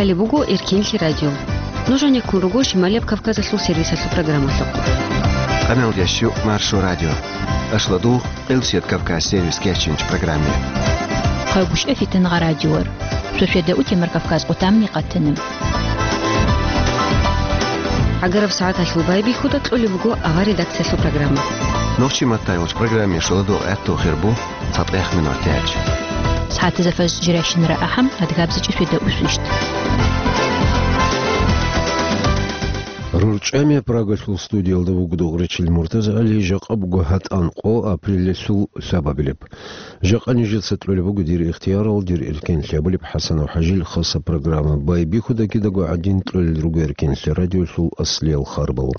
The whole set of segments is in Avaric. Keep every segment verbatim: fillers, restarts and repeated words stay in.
Гьале буго Эркенлъи радио. Нуж гӀенеккун руго Шималияб Кавказалъул сервисалъул программалъухъ. Къамел ящу Маршо радио. Ашладу Къилсият Кавказ сервис кечинч программе. Хъайгъушев Фитангъа радиор. Сосведа утемар Кавказ къутамни къатаним. ГӀагараб сагӀаталъул байбихьуда кьолеб буго авар редакциялъул программа. Нохчи маттайулч программе шуладу гӀатту хирбу. ЦатӀех минут тяч. СагӀатазда фажр жиращинара ахӀам, адгабзичӀи светда усвищт. РурчӀами Прагалъул студиялда вугода гъуричил Муртаза ГӀали, жакъа буго гьатӀан къо апрелалъул лъабабилеб. Жакъа нижеца кьолеб буго дир ихтиярал, дир эркенлъи абулеб ХӀасанов ХӀажил хаса программа. Байбихьуда кидаго гӀадин кьолел руго Эркенлъи радиолъул аслиял харбал.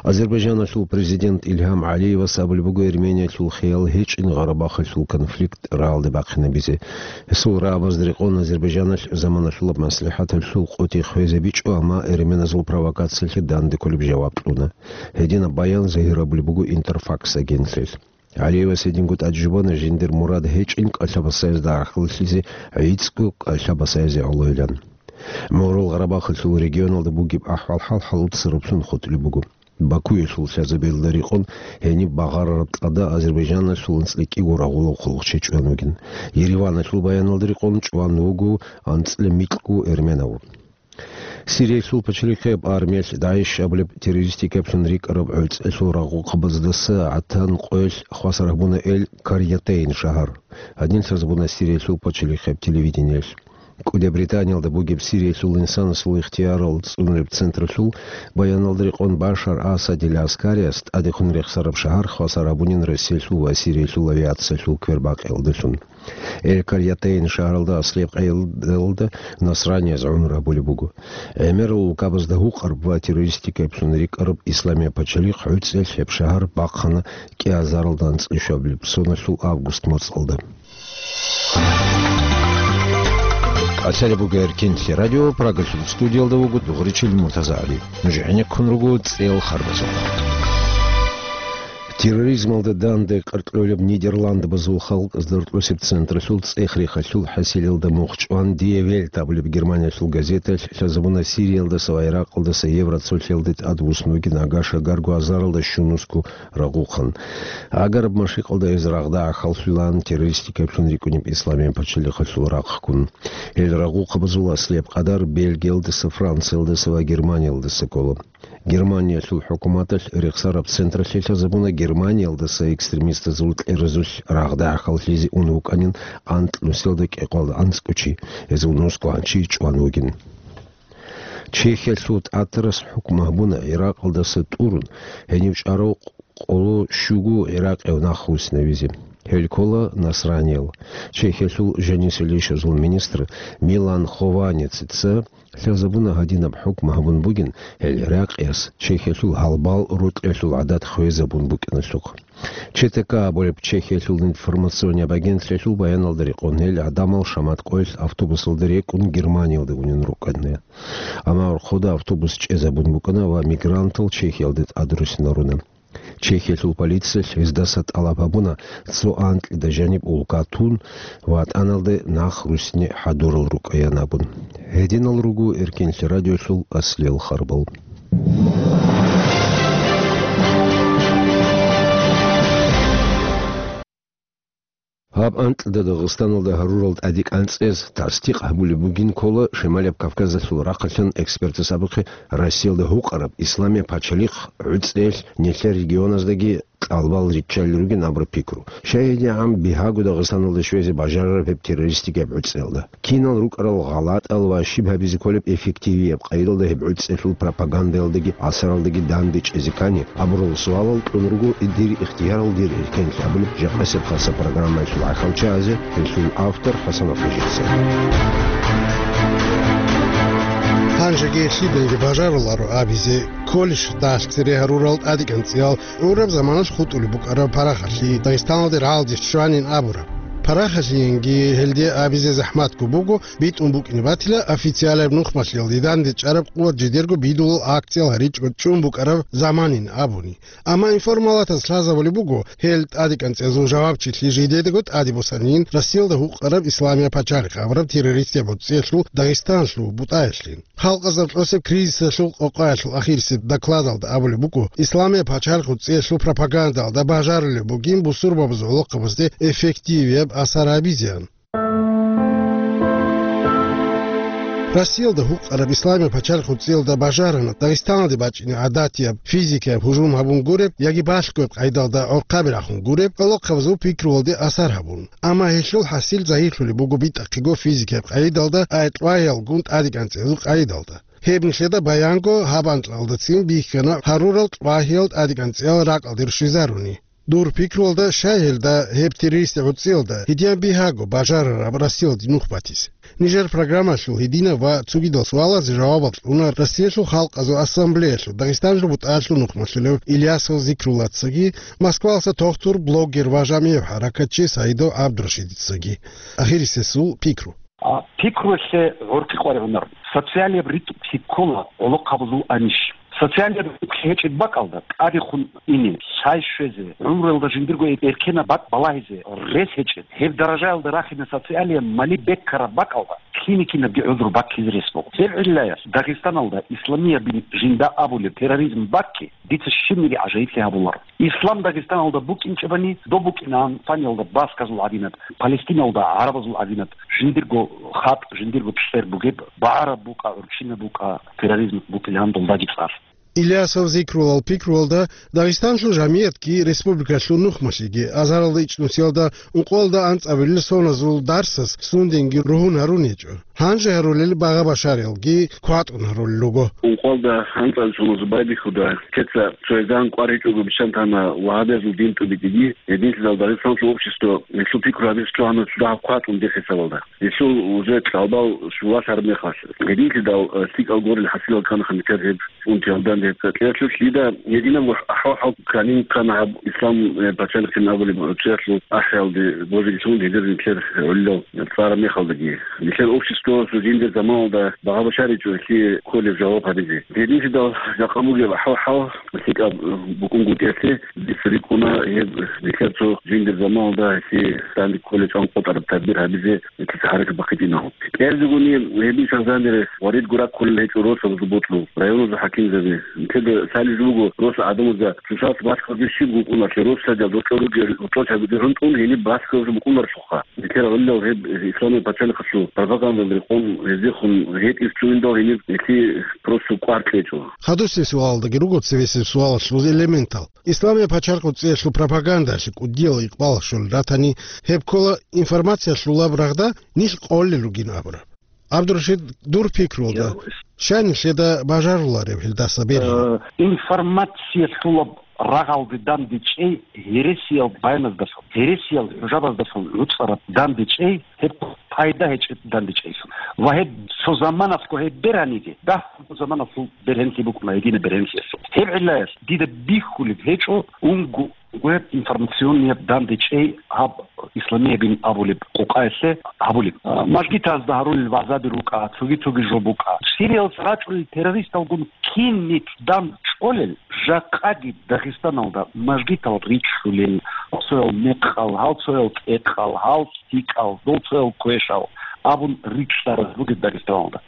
Азербайжаналъул президент Илгьам ГӀалиевас абулеб буго Эрмениялъул хиял гьечӀин Гъарабахалъул конфликт рагӀалде бахъинабизе. Гьесул рагӀабазда рекъон Азербайжаналъ заманалъулаб маслихӀаталъул къотӀи хвезабичӀо, амма эрменазул провокациялъе данде кколеб жаваб кьуна. Гьединаб баян загьир абулеб буго Интерфакс агентлъиялъ. ГӀалиевас гьединго тӀаде жубана жиндир мурад гьечӀин кӀалъа-басаязда гӀахьаллъизе, гӀицӀго кӀалъа-басаязе гӀолойилан. МугӀрул Гъарабахалъул регионалда бугеб ахӀвал-хӀал хӀалуцараблъун хутӀулеб буго. Бакуялъул лъазабиялда рекъон гьениб багъарараб тӀада Азербайжаналъул анцӀила кӀиго рагъулав хъулухъчи чӀван вугин. Ереваналъул баяналда рекъон чӀван вуго анцӀила микьго эрменав. Сириялъул пачалихъияб армиялъ ДАИШ абулеб террористикаблъун рикӀкӀараб гӀуцӀелъул рагъухъабаздаса гӀатан къоялъ хвасар гьабуна Эль Карьятейн шагьар. Гьадин лъазабуна Сириялъул пачалихъияб телевидениялъ. КӀудияб Британиялда бугеб Сириялъул инсанасул ихтиярал цӀунулеб централъул баяналда рекъон Башар Асадил ГӀаскариялъ тӀадехун рехсараб шагьар хвасар гьабунин Россиялъул ва Сириялъул авиациялъул квербакъиялдалъун. Эль-Карьятейн шагьаралда аслияб къайилалда насранияз гӀумру гьабулеб буго. ГӀемерал улкабазда гьукъараб ва террористикаблъун рикӀкӀараб Исламияб пачалихъ гӀуцӀиялъ гьеб шагьар бахъана кӀиазаралда анцӀила щуабилеб соналъул август моцӀалда. Къачалеб буго Эркенлъи радио, Прагалъул студиялда вуго дугъричил Муртаза ГӀали. Нуж гӀенеккун руго цӀел харбазухъ. Терроризмалда данде къаркьолеб Нидерландбазул халкъазда рокьосеб централъул цӀех-рехалъул хӀасилалда мухъ чӀван, Die Welt абулеб Германиялъул газеталъ лъазабуна Сириялдаса ва Иракъалдаса евроцолъиялде тӀадвуссун вугин Агашагарго азаралда щунусго рагъухъан. Агараб машикъалда гьез рагъда гӀахьаллъулаан террористикаблъун рикӀкӀунеб Исламияб пачалихъалъул рахъ ккун. Гьел рагъухъабазул аслияб къадар Бельгиялдаса, Франциялдаса ва Германиялдаса ккола. Германиялъул хӀукуматалъ рехсараб централъе лъазабуна Германиялдаса экстремистазул кьеразулъ рагъда гӀахьаллъизе ун вукӀанин анкьнусиялда кӀикъоялда анцӀго чи, гьезул нусго гьанчи чӀван вугин. Чехиялъул тӀатарас хӀукму гьабуна Иракъалдаса тӀурун, гьенив чӀарав къоло щуго гӀиракъияв нах руссинавизе. Гьел ккола насраниял. Чехиялъул жанисел ишазул министр Милан Хованецица лъазабуна гьадинаб хӀукму гьабун бугин гьел гӀиракъияс Чехиялъул гьалбал рокьиялъул гӀадат хвезабун букӀиналъухъ. Ч Т К абулеб Чехиялъул информационияб агентлъиялъул баяналда рекъон гьел гӀадамал шамат къоялъ автобусалда рекӀун Германиялде унин рукӀана. Амма гӀорхъода автобус чӀезабун букӀана ва мигрантал Чехиялде тӀадруссинаруна. Чехиялъул полициялъ гьездаса тӀалаб гьабуна цо анкьида жаниб улка тун ва тӀаналде нах руссине хӀадурал рукӀаян абун. Гьединал руго Эркенлъи радиолъул аслиял харбал. Гьаб анкьида Дагъистаналда гьарурал тӀадекӀанцӀез тасдикъ гьабулеб бугин ккола Шималияб Кавказалъул рахъалъан экспертас абухъе Россиялда гьукъараб Исламияб пачалихъ гӀуцӀиялъ нилъер регионаздаги кьалбал риччалел ругин абураб пикру. ЩайгьанигӀан бигьаго Дагъистаналда щвезе бажарараб гьеб террористикияб гӀуцӀиялда. Кинал рукӀарал гъалатӀал ва щиб гьабизе кколеб эффективияб къайдалда гьеб гӀуцӀиялъул пропагандалдаги асаралдаги данде чӀезе ккани абурал суалал кьун руго дир ихтиярал, дир эркенлъи абулеб жакъасеб хаса программаялъул гӀахьалчагӀазе, гьелъул автор ХӀасанов ХӀажица. Гьанжеги лъидаги бажаруларо абизе кколищ дагьалъ цере гьарурал тӀадекӀанцӀиял гӀураб заманалъ хутӀулеб букӀараб парахалъи Дагъистаналде рагӀалде щванин абураб. Рахалъиянги гьелде абизе захӀматго буго, битӀун букӀине батила официалаб нухмалъиялде дандечӀараб къуват жидерго бидулал акциял гьаричӀо чӀун букӀараб заманин абуни. Амма информалатаз лъазабулеб буго, гьел тӀадекӀанцӀазул жавабчилъи жидедаго тӀаде босанин Россиялда гьукъараб Исламия пачалихъ абураб террористияб гӀуцӀиялъул Дагъистаналъул бутӀаялъин. Халкъазда кьосеб кризисалъул къокъаялъул ахирисеб докладалда абулеб буго, Исламия пачалихъ гӀуцӀиялъул пропагандалда бажарулеб бугин бусурбабазул гӀолохъабазде эффективияб асар гьабизеян. Россиялда гьукъараб Исламия пачалихъ гӀуцӀиялда бажарана Дагъистаналде бачӀине гӀадатияб физикаяб гьужум гьабун гуреб яги балъгояб къайдалда гӀорхъаби рахун гуреб, гӀолохъабазул пикруялде асар гьабун. Амма гьелъул хӀасил загьирлъулеб буго битӀахъего физикаяб къайдалда аэтлъвагьиялгун тӀадекӀанцӀазул къайдалда. Гьеб нилъеда баянго гьаб анкьалдацин бихьана гьарурал лъвагьиял тӀадекӀанцӀиял ракӀалде рщвезаруни. Дур пикруялда, щай гьелда гьеб террористи гӀуцӀиялда гьедиян бигьаго бажарараб Россиялде нух батизе. Нижер программалъул гьединаб ва цогидал суалазе жавабал кьуна Россиялъул Халкъазул Ассамблеялъул Дагъистаналъул бутӀаялъул нухмалъулев Ильясов Зикруллацаги, Москвалъа тохтур, блогер ва жамигӀ хӀаракатчи Саидов ГӀабдурашидицаги. Ахирисесул пикру. А, пикруялъе гӀоркьи къваригӀунар. Социалияб ритӀухълъи ккола гӀолохъабазул анищ. Социалияб ритӀухълъи гьечӀеб бакӀалда тӀадехун ине, лъай щвезе, гӀумруялда жиндирго эркенаб бакӀ балагьизе рес гьечӀеб. Гьеб даражаялда рахине социалияб мали беккараб бакӀалда кини-кинабги гӀузру баккизе рес буго. Гьеб гӀиллаялъ Дагъистаналда исламиябин жинда абулеб терроризм баккги дица щибниги гӀажаиблъи гьабуларо. Ислам Дагъистаналда букӀинчӀебани, доб букӀинаан Испаниялда басказул гӀадинаб, Палестиналда гӀарабазул гӀадинаб, жиндирго хатӀ, жиндирго чӀер бугеб, багӀараб букӀа, гӀурччинаб букӀа, терроризм букӀилаан долдаги цӀар. Ильясов Зикрулал пикруялда Дагъистанлъул жамиятги, республикалъул нухмалъиги, азаралда ичӀнусиялда ункъоялда анцӀабилел соназул дарсас сунденги ругьун гьарун гьечӀо. Гьанже гьарулел багъа-башариялги кватӀун гьарулел руго. Ункъоялда анцӀабилел соназул байбихьуда, кеца цо гьезан кӀвар гьечӀого бищан тана вагьабиязул дин тӀубитӀиги, гьединлъидал Дагъистанлъул общество гьелъул пикру гьабизе чӀвана цо дагьаб кватӀун дехисавалда. Гьелъул уже кьалбал щулалъараб мехалъ, гьединлъидал, э, лъикӀал гурел хӀасилал кканаха нилъер гьеб унтиялдан гьеб кьеялъулъ дида гьединабго ахӀвал-хӀал кканин ккана гьаб Ислам, э, пачалихъин абулеб гӀучӀиялъул ахӀиялде божиги лъун гьезир нилъер гӀолилал цӀараб мехалдаги. Нилъер обществоялъул жиндир заманалда багъа-башаричӀо гьелъие кколеб жаваб гьабизе. Гьединлъидал жакъа бугеб ахӀвал-хӀал лъикӀаб, э, букӀунгутӀиялъе дица рикӀкӀуна гьеб нилъер цо жиндир заманалда гьелъие данде кколеб чӀван къотӀараб тадбир гьабизе. Гьелъица гьаракат бахъичӀинагьун. КӀиабилебгони гьеб ишал гьанже варидго раккулел гьечӀо росабазул бокьул, районазул хӀакимзаби. Нилъеда лъалеб жо буго, рос гӀадамазда цоцалъ балъгоги щиб букӀуналъе, росдал дорчӀо ругел, ручӀо чагӀи гьунтӀун гьениб балъгоги букӀунарелъулха. Нилъер гӀолилал гьеб Исламияб пачалихъалъул пропагандалда рекъон гьездехун гьетӀиз чугьиндал гьениб гьелъие просто кӀвар кьечӀо. Хадусеб суалалдаги руго цебесеб суалалъул элементал. Исламияб пачалихъ гӀуцӀиялъул пропагандалъе кӀудиял икъбал щолел ратани, гьеб ккола информациялъулаб рагъда нилъ къолел ругин абураб. ГӀабдурашид, дур пикруялда, Я, щай нилъеда бажарулареб гьелдаса берги? Э, информациялъулаб рагъалде дандечӀей гьересиял баяназдалъун, гьересиял хӀужабаздалъун гӀуцӀараб дандечӀей гьеб пайда гьечӀеб дандечӀейилъун. Ва гьеб цо заманалъго гьеб бергьаниги, дагь-, заманалъул бергьенлъи букӀуна, гьединаб бергьенлъиялъул. Гьеб гӀиллаялъ дида бихьулеб гьечӀо унго гьеб информационнияб дандечӀей гьаб исламиябин абулеб къокъаялъе гьабулеб. А, мажгитазда гьарулел вагӀзаби рукӀа, цоги-цоги жо букӀа. Сириялъ рачӀунел террористалгун кин нилъ дандчӀолел, жакъаги Дагъистаналда мажгитал ричӀчӀулел, гьалцоял мекъал, гьалцоял тӀекъал, гьал лъикӀал, долцоял квешал абун ричӀчӀарал ругел Дагъистаналда.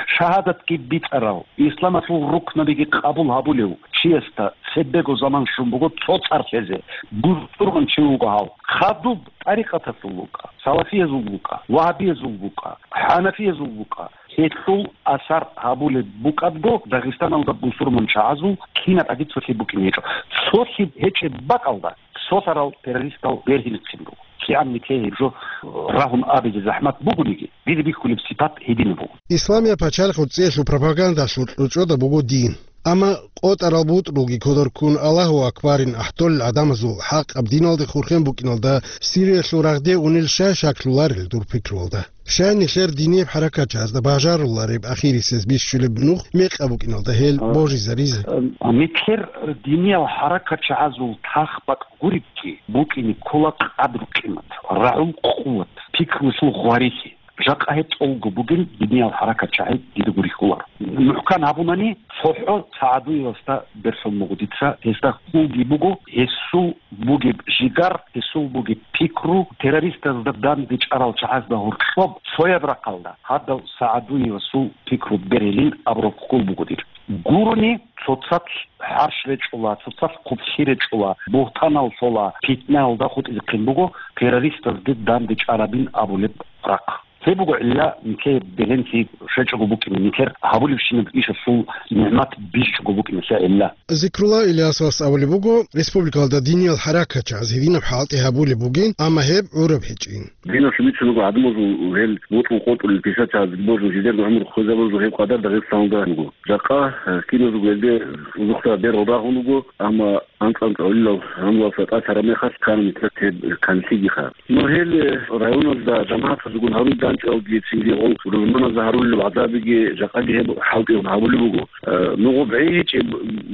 Шагьадатги бицӀарал, исламалъул рукнабиги къабул гьабулев чиясда цебего заман щун буго цо цӀар лъезе, бусурман чи вуго гьав. Хадуб тӀарикъаталъул вукӀа, салафиязул вукӀа, вагьабиязул вукӀа, хӀанафиязул вукӀа. Гьелъул асар гьабулеб букӀадго, Дагъистаналда бусурман чагӀазул кинаб гӀаги цолъи букӀине гьечӀо. Цолъи гьечӀеб бакӀалда цолъарал террористал бергьинихъин буго. КигӀан нилъее гьеб жо рагьун абизе захӀмат бугониги, дида бихьулеб сипат гьединаб буго. Исламияб пачалихъ гӀуцӀиялъул пропагандалъул кьучӀода буго дин. Амма къотӀарал бутӀрулги кодор ккун, Аллагьу акбарин ахӀдолел гӀадамазул хӀакъаб диналде хурхен букӀиналда Сириялъул рагъде унел щай шаклъуларел дур пикруялда? Щай нилъер динияб хӀаракатчагӀазда бажарулареб ахирисез бищулеб нух мекъаб букӀиналда гьел А, божизаризе? а, нилъер диниял хӀаракатчагӀазул тахбакӀ гуребги букӀине ккола къадру-къимат, рагӀул къуват, пикрулъул гъварилъи. Жакъа гьеб тӀолго бугел диниял хӀаракатчагӀи дида гурихьулар. МухӀкан гьабунани, цохӀо СагӀадуевасда берлъун буго дица, гьесда хьулги буго, гьесул бугеб жигар, гьесул бугеб пикру, террористазда данде чӀарал чагӀазда гьоркьоб цояб рахъалда, гьадав СагӀадуевасул пикру берилин абураб хьул буго дир. Гурони, цоцалъ хӀарщ речӀула, цоцалъ хъублъи речӀула, бугьтанал лъола, питнаялда хутӀизехъин буго террористазде данде чӀарабин абулеб рахъ. Гьеб буго гӀилла, нилъее беленлъи щвечӀого букӀине, нилъер гьабулебщинаб ишалъул нигӀмат бичӀчӀого букӀине лъе гӀилла. Зикрулла Ильясовас абулеб буго, республикалда диниял хӀаракатчагӀаз гьединаб хӀалтӀи гьабулеб бугин, амма гьеб гӀураб гьечӀин. Динасул бицун буго гӀадамазул гьел бутӀрул къотӀулел писатал божун жидерго гӀумру хвезабазул гьеб къадар Дагъистаналда буго. Жакъа, э, киназул гьелде узухъа бергъ рагьун буго, амма анцӀ-анцӀ гӀолилал гьанлалса тӀад гьараб мехалъ ккана нилъер гьеб канлъигиха. Ну, гьел, э, районалда жамагӀатазегун гьарулел данчӀвалги, цинги гъол рузманазда гьарулел гӀазабиги жакъаги гьеб хӀалтӀигун гьабулеб буго. Э, ну, гъоб гӀей гьечӀеб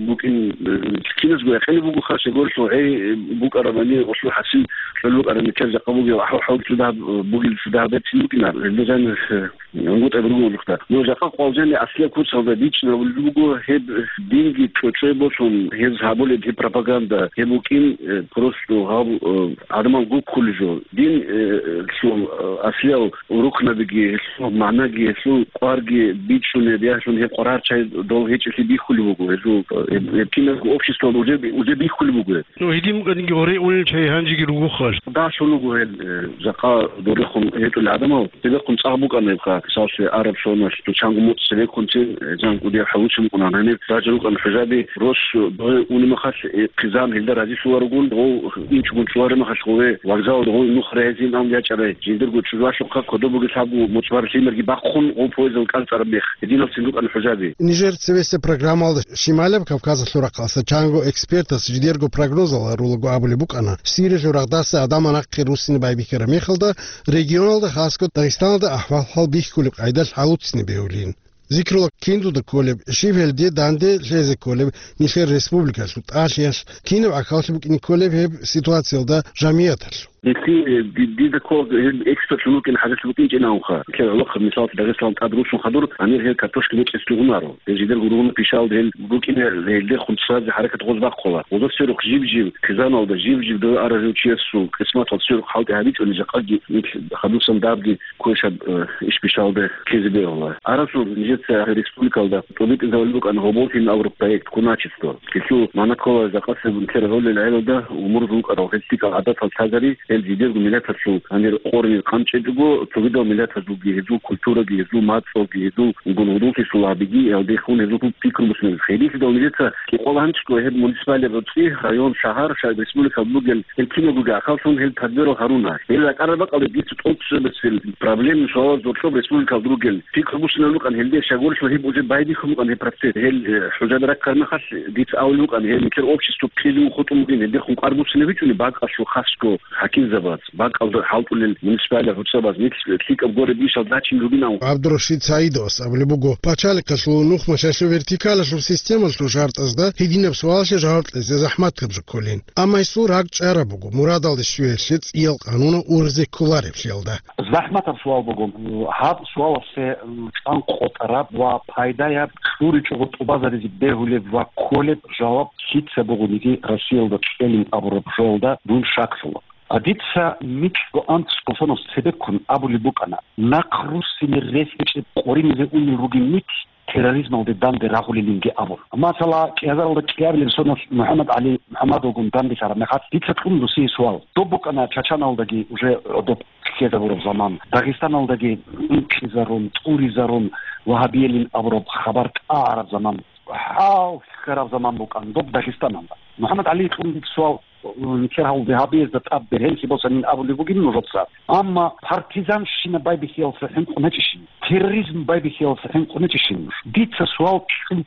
букӀин, э, киназго якъинаб бугоха, щегорилъул гӀей букӀарабани, гъолъул хӀасил кьол букӀараб нилъер жакъа бугеб ахӀу-, хӀал цо дагьаб, э, бугел цо дагьаб берцин букӀинар. Гьелда жанир, э, ГӀунгутӀа буго улухъа. Ну, жакъа къвалжани аслияб куцалда бичӀчӀинабулеб буго гьеб динги чӀочӀой босун, гьез гьабулеб гьеб пропаганда, гьеб букӀин, э, просто гьаб, э, гӀадамал гуккулеб жо. Дин, э, лъул, э, аслиял рукнабиги, гьелъул магӀнаги, гьелъул кӀварги бичӀчӀунеб, яхӀлъун гьеб къварагӀарчагӀи дол гьечӀелъи бихьулеб буго, гьезул, э, гьеб, гьеб киназго обществоялда уже, уже бихьулеб буго гьеб. Ну, гьедин букӀаниги гьоркьулел чагӀи гьанжеги ругохъал. Дагьлъун вуго гьел, э, жакъа дорихъун гьечӀолел гӀадамал. Цебеккун цӀакъ букӀана гьебха, мисаллъи, араб соналъ, чанго муцӀ цебеккунцин, э, жан кӀудияв хӀалучи букӀуна. Гьаниб ража рукӀана хӀужаби, рос догье уна мехалъ, э, хъизан гьелда разилъуларогун, гъов инчӀогун чӀвараб мехалъ гъове вокзалалда гъов нух регӀизин ан ячӀарай. Жиндирго чӀужуялъухъа кодоб бугел лъабго муцӀ бараб лъимерги бахъун гъов поездалда кӀалцӀараб мех. Гьединалцин рукӀана хӀужаби. Нижер цебесеб программалда Шималаб Кавказалъул рахъалъа чанго экспертас жидерго прогнозал гьарулаго абулеб букӀана, Сириялъул рагъдаса гӀадамал нахъе руссине байбихьараб мехалда, регионалда, хасго Дагъистаналда ахӀвал-хӀал бихьулеб къайдалъ гьалуцине бегьулин. Зикрулла, киндуда кколеб, щиб гьелде данде лъезе кколеб нилъер республикалъул тӀалъиялъ, кинаб гӀахьаллъи букӀине кколеб гьеб ситуациялда жамигӀаталъул? Гьелъие, ди-, дида ккола гьел экспертлъун вукӀин хӀажалъи букӀинчӀин абунха. Гьелъ гӀолохъаб мисаллъи Дагъистаналда тӀад руссун хадур, гьанир гьел картошка бечӀеслъи гьунаро. Гьел жидерго ругьунал пишаялда гьел букӀине, гьелдехун цоязе хӀаракат гъоз бахъула. Гъоза сверухъ жиб-жиб хъизаналда, жиб-жиб дов арав жив чиясул къисматалда сверухъ хӀалтӀи гьабичӀони жакъаги нилъ хадусан дабги кквешаб, э, иш бишалде ккезе бегьула. Арасул нижеца республикалда тӀубитӀизабулеб букӀана гьоболлъин абураб проект «Куначество». Гьелъул магӀна ккола жакъасеб унтер гьолел гӀелалда умурзул вукӀарал гьел лъикӀал гӀадатал лъазари, гьел жидерго миллаталъул гьанир къорни къанчӀечӀого, цогидал миллатазулги гьезул культураги, гьезул мацӀалги, гьезул гунгьудуллъи сулагьабиги, гьелдехун гьезул пикру бусинабизе. Гьединлъидал нижеца кӀикъоялда гьанчӀго гьеб муниципалияб гӀорцӀи, район, шагьар, ша-, республикалда бугел гьел кинабго ахӀваллъун гьел тадбирал гьаруна. Гьел ракӀараб бакӀалда дица тӀоцебесел проблемный суалал зорлъоб республикалда ругел. Пикру бусинаб букӀан гьелде, щайгурелъул гьеб уже байбихьун букӀан гьеб процесс. Гьел, э, хӀужаби раккараб мехалъ дица абулеб букӀан, гьел нилъер общество ккезе хутӀун бугин, гьелдехун къвар буцинабичӀони бакӀалъул хасго хӀакимзабаз, бакӀалда хӀалтӀулел муниципалияб гӀорцӀабаз, нилъ лъикӀаб гуреб ишал зачинги ругин абун. ГӀабдурашид СагӀидовас абулеб буго, пачалихъалъул нухмашалъул вертикалалъул системалъул шартӀазда гьединаб суалалъе жаваб кьезе захӀматаб жо кколин. Амма гьесул ракӀ чӀараб буго, мурадалде щвеялъе цӀиял къанунал ургъзе кколареблъиялда. ЗахӀматаб суал буго, гьаб суаласе, м, чӀван къотӀараб ва пайдаяб, кьуричӀого тӀубазаризе бегьулеб ва кколеб жаваб лъица бугониги Россиялда кьелин абураб жоялда дун шаклъула. А дица микьго анцӀго соналъ цебеккун абулеб букӀана, нахъ руссине рес гьечӀеб къоринизе унел ругин нилъ терроризмалде данде рагъулелинги абун. Масала, кӀиазаралда кӀиабилеб соналъ МухӀаммад ГӀали МухӀаммадовгун данделъараб мехалъ дица кьун досие суал. Доб букӀана Чачаналдаги уже гӀодоб ккезабураб заман, Дагъистаналдаги инкъизарун, тӀуризарун, вагьабиялин абураб хабар тӀагӀараб заман, хӀалхьараб заман букӀан доб Дагъистаналда. МухӀаммад ГӀали кьун суал, нилъер гьалде гьабиязда тӀад бергьенлъи босанин абулеб бугин нужеца. Амма партизанщина байбихьиялса хӀинкъун гьечӀищин, терроризм байбихьиялса хӀинкъун гьечӀищин нуж? Дица суал кьун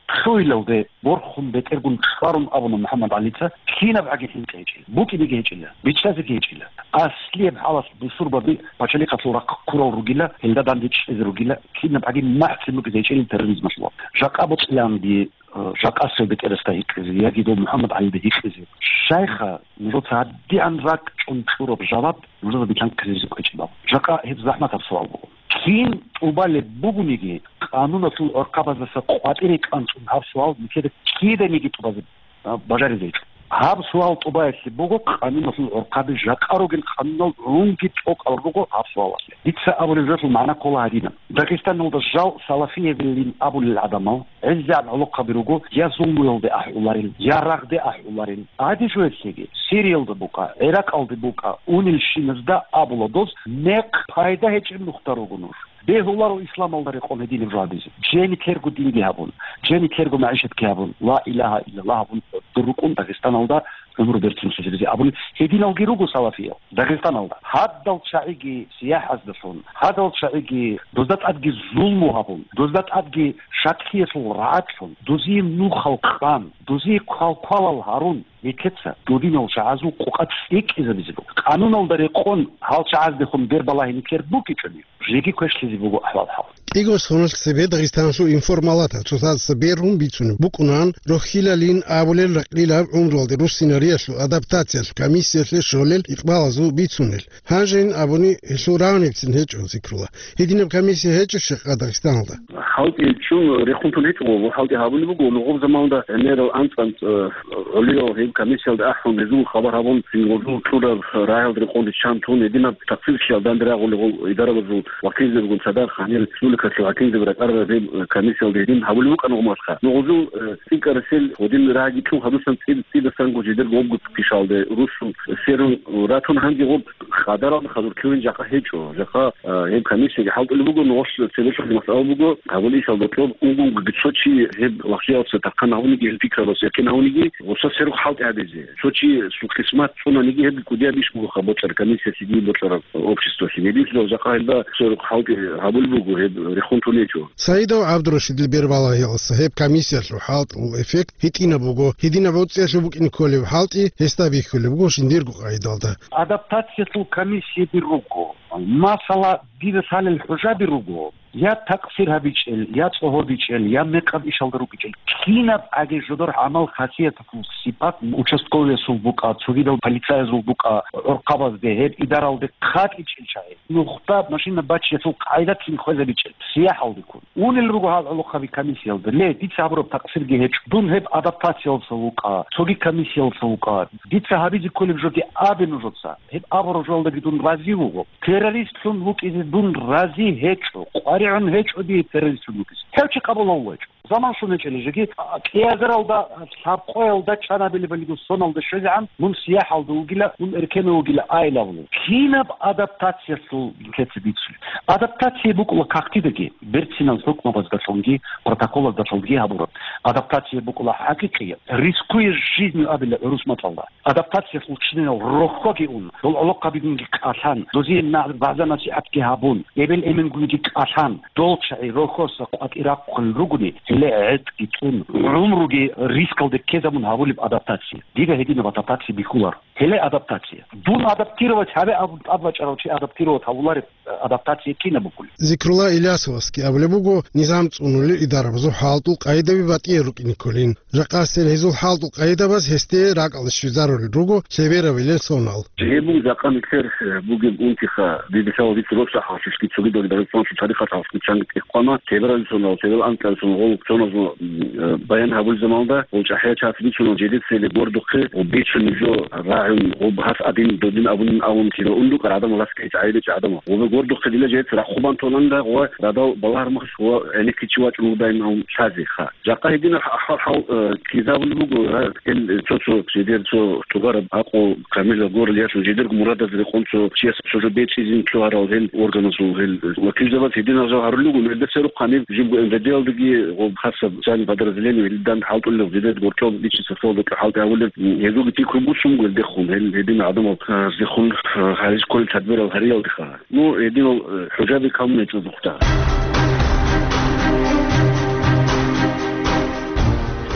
лъугьиналде борхун бетӀергун чӀварун абуна МухӀаммад ГӀалица, кинаб гӀаги хӀинкъи гьечӀила, букӀинеги гьечӀила, бичӀчӀазеги гьечӀила. Аслияб хӀалалъ бусурбаби пачалихъалъул рахъ ккурал ругила, гьелда данде чӀезе ругила, кинаб гӀаги махӀцӀи букӀизе гьечӀила терроризмалъул. Жакъа бокьиланги, э, жакъа цо бетӀерасда гьикъизе яги дов МухӀаммад ГӀалида гьикъизе. Щайха нужеца гьадигӀан ракӀчӀун кьураб жаваб нужеда билан ккезеризе кӀвечӀеб? Жакъа гьеб захӀматаб суал буго. Кин тӀубалеб бугониги, къануналъул гӀорхъабаздаса къватӀире кӀанцӀун гьаб суал нилъеда киданиги тӀубазе, а, бажаризе гьечӀо. Гьаб суал тӀубаялъе буго къануналъул гӀорхъаби, жакъа ругел къанунал гӀунги тӀокӀал руго гьаб суалалъе. Дица абулеб жоялъул магӀна ккола гьадинаб. Дагъистаналда жал салафиявилин абулел гӀадамал гӀезегӀан гӀолохъаби руго, я зулмуялде ахӀуларел, я рагъде ахӀуларел. Гьадин жоялъеги, Сириялда букӀа, ГӀиракъалде букӀа, унелщиназда абула доз, мекъ пайда гьечӀеб нухда руго нуж. Бегьуларо исламалда рекъон гьединаб жо гьабизе. Жени терго динги гьабун, жени терго магӀишатги гьабун, ла илагьа иллаллагь гьабун, дур рукӀун Дагъистаналда гӀумру берцин лъазабизе абун гьединалги руго салафиял Дагъистаналда. Гьадал чагӀиги сияхӀаздалъун, гьадал чагӀиги дозда тӀадги зулму гьабун, дозда тӀадги шаклъиялъул рагӀаблъун, дозие нухал къан, дозие квалквалал гьарун, нилъеца додинал чагӀазул къукъа цӀикӀкӀизабизе буго. Къануналда рекъон гьал чагӀаздехун бербалагьи нилъер букӀичӀони, жеги квешлъизе буго ахӀвал-хӀал. КӀиго соналъ цебе Дагъистаналъул информалатал цоцаздаса бергьун бицунеб букӀунан, рохьилалин абулел ракьилаб гӀумруялде руссинариялъул адаптациялъул комиссиялъе щолел икъбалазул бицунел. Гьанжейин абуни, гьелъул рагӀунебцин гьечӀо, Зикрула. Гьединаб комиссия гьечӀищ жакъа Дагъистаналда? ХӀалтӀи чӀун рехун тун гьечӀо, хӀалтӀи гьабулеб буго, нугъаб заманалда гӀемерал анцӀ-анцӀ, э, гӀолиял гьеб комиссиялда ахӀун, гьезул хабар гьабун, гьезул кьураб рагӀиялда рекъон риччан тун, гьединаб такъсирлъиялда данде рагъулел гьел идарабазул вакилзабигун цадахъ гьанир республикалъул хӀакимзаби ракӀарараб гьеб комиссиялда гьедин гьабулеб букӀана гъумалха. Нугъузул, э, цӀикӀкӀарасел гьедин рагӀи кьун гьадусан цӀи-, цӀидасан гужидер гъобгу пишалде, русул серун ратун гьанги гъоб къадаралда хадур ккевин жакъа гьечӀо. Жакъа, э, гьеб комиссияги хӀалтӀулеб буго, нугъулъ цебелъул масъала буго, гьабулеб ишалда кьоб унгунги цо чи гьеб вахъиялъе тархъан гьавуниги, гьел пикралъе якин гьавуниги, гъоса серухъ хӀалтӀи гьабизе. Цо чи сукъисмат цӀунаниги гьеб кӀудияб иш буго ха бокьараб комиссиялъеги бокьараб обществалъе. Гьединлъидал жакъа гьелда цо рухъ хӀалтӀи гьабулеб буго, гьеб рехун тун гьечӀо. Саидов ГӀабдурашидил бербалагьиялдаса гьеб комиссиялъул хӀалтӀул эффект гьитӀинаб буго, гьединаб гӀуцӀиялъул букӀине кколеб хӀалтӀи гьесда бихьулеб буго жиндирго къайдалда. Адаптациялъул комиссияби руго. Масала, дида лъалел хӀужаби руго. Я такъсир гьабичӀел, я цӀогьобичӀел, я мекъаб ишалда рукӀичӀел, кинаб гӀаги жодор гӀамал хасияталъул сипат участковыясул букӀа, цогидал полицаязул букӀа, гӀорхъабазде, гьеб идаралде хъатӀичӀел чагӀи. Нухда машина бачиялъул къайдалъин хвезабичӀел, сияхӀалдеккун. Унел руго гьал гӀолохъаби комиссиялда. Ле, дица гьабураб такъсирги гьечӀо. Дун гьеб адаптациялдаса вукӀа, цоги комиссиялдаса вукӀа. Дица гьабизе кколеб жоги абе нужеца. Гьеб абураб жоялдаги дун рази вуго. Террористлъун вукӀизе дун рази гьечӀо, къваригӀун гьечӀо дие террористлъун вукӀизе. Гьев чи къабулав вачӀо. Заман щун гьечӀела жеги, а, кӀиазаралда, лъабкъоялда, чанабилебалиго соналда щвезегӀан, мун сияхӀалда вугила, мун эркенав вугила айилавлу. Кинаб адаптациялъул нилъеца бицулеб? Адаптация букӀула кагътидаги, берцинал хӀукмабаздалъунги, протоколаздалъунги гьабураб. Адаптация букӀула хӀакъикъияб, рискуя жизнью абила гӀурус мацӀалда. Адаптациялъул чинал рохьоги ун, дол гӀолохъабигунги кӀалъан, дозие на-, вагӀза-насихӀатги гьабун, эбел-эменгунги кӀалъан, дол чагӀи рохьоса къватӀирахъулел ругони, гьеле гӀетӀги цӀун, гӀумруги рискалде ккезабун гьабулеб адаптация. Дида гьединаб адаптация бихьуларо. Гьеле адаптация. Дун адаптировать гьаве абун тӀадвачӀарав чи адаптировать гьавулареб адаптация кинаб букӀулеб? Зикрулла Илясовасги абулеб буго, низам цӀунулел идарабазул хӀалтӀул къайдаби батӀиял рукӀине кколин. Жакъасел гьезул хӀалтӀул къайдабаз гьесде ракӀалде щвезарулел руго лъеберавилел сонал. Гьеб буго жакъа нилъер, э, бугеб унтиха, дида лъала дица росла хӀалхьишлъи цогидал Дагъистаналъул тарихалъ хӀалхьишлъи чанги тӀехъана, лъеберавил сонал, лъеберал анкьабил сонал, гъол соназул, м, э, баян гьабулел заманалда, гъол чӀахӀиял чагӀаз бицунал жидецаялъе гордухъе, ва бицун жо рагӀун, гъоб гьас адин додин абунин абун киро, ундукъа радамал гьас ккечӀ гӀайиб гӀадамал. Гъобе гордухъе дила жидец рахъубан толанила, гъо радал балагьармахъ, гъо гӀенекке чи вачӀун вугодай абун лъазе ха. Жакъа гьединаб хӀал-, хӀал, э, ккезабулеб буго, гьа, гьел цо-цо жидер цо тугъараб гӀакъу камилаб гурел яшав жидерго мурадаз рекъон цо чияс цо жо бечӀизин лъугьарал гьел органазул гьел вакилзабаз гьединал жал гьарулел руго, гьелда церухъ гьаниб жибго МВД-ялдаги гъоб хасаб социальный подразделение гьелдан хӀалтӀулел жидер гурчӀол личный составалда хӀалтӀи гьавулел, гьезулги пикру буссун буго гьелде Гьел гьедин гӀадамал, э, зихун, э, гьариж кколел тадбирал гьариялдеха. Ну, гьединал, э, хӀужаби камун гьечӀо зухъда.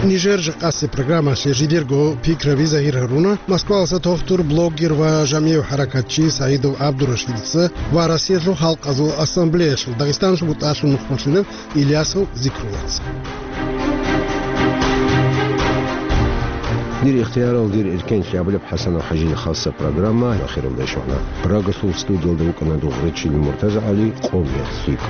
Нижер жакъасеб программалъе жидерго пикраби загьир гьаруна Москваласа тохтур, блогер ва жамигӀ хӀаракатчи СагӀидов ГӀабдурашидица ва Россиялъул халкъазул ассамблеялъул Дагъистаналъул бутӀалъул нухмалъулев Ильясов Зикруллаца. Дир ихтиярал, дир эркенлъи абулеб ХӀасанов ХӀажида хасса программа ахиралде щвана. Прагасул студиялда вукӀана дугӀрачил МуртазагӀали, къом гьеб лъикӀ.